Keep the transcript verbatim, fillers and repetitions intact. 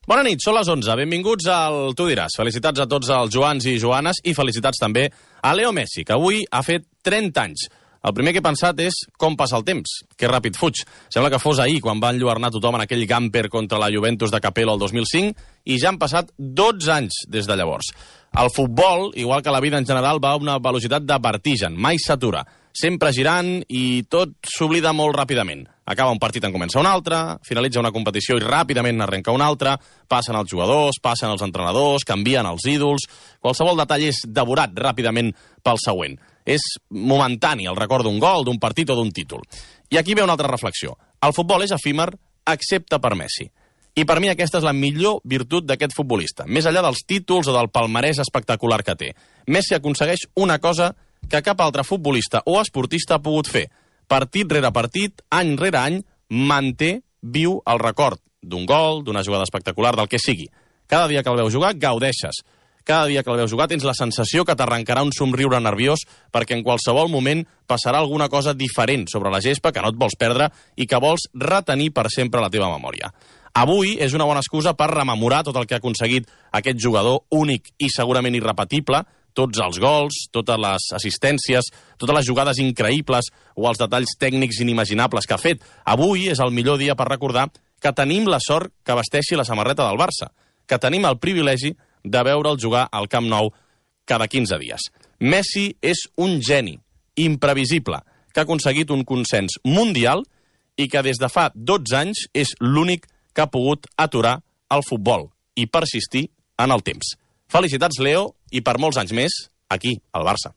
Bona nit, són les onze. Benvinguts al Tu diràs. Felicitats a tots els Joans i Joanes i felicitats també a Leo Messi, que avui ha fet trenta anys. El primer que he pensat és com passa el temps, que ràpid fuig. Sembla que fos ahir quan va enlluernar tothom en aquell gamper contra la Juventus de Capello el dos mil cinc i ja han passat dotze anys des de llavors. El futbol, igual que la vida en general, va a una velocitat de vertigen, mai s'atura. Sempre girant i tot s'oblida molt ràpidament. Acaba un partit en comença un altre, finalitza una competició i ràpidament arrenca una altra, passen els jugadors, passen els entrenadors, canvien els ídols... Qualsevol detall és devorat ràpidament pel següent. És momentani el record d'un gol, d'un partit o d'un títol. I aquí ve una altra reflexió. El futbol és efímer, excepte per Messi. I per mi aquesta és la millor virtut d'aquest futbolista, més enllà dels títols o del palmarès espectacular que té. Messi aconsegueix una cosa que cap altre futbolista o esportista ha pogut fer. Partit rere partit, any rere any, manté viu el record d'un gol, d'una jugada espectacular, del que sigui. Cada dia que el veus jugar, gaudeixes. Cada dia que el veus jugar tens la sensació que t'arrencarà un somriure nerviós perquè en qualsevol moment passarà alguna cosa diferent sobre la gespa que no et vols perdre i que vols retenir per sempre a la teva memòria. Avui és una bona excusa per rememorar tot el que ha aconseguit aquest jugador únic i segurament irrepetible, tots els gols, totes les assistències, totes les jugades increïbles o els detalls tècnics inimaginables que ha fet. Avui és el millor dia per recordar que tenim la sort que vesteixi la samarreta del Barça, que tenim el privilegi de veure'l jugar al Camp Nou cada quinze dies. Messi és un geni, imprevisible, que ha aconseguit un consens mundial i que des de fa dotze anys és l'únic que ha pogut aturar el futbol i persistir en el temps. Felicitats, Leo, i per molts anys més, aquí, al Barça.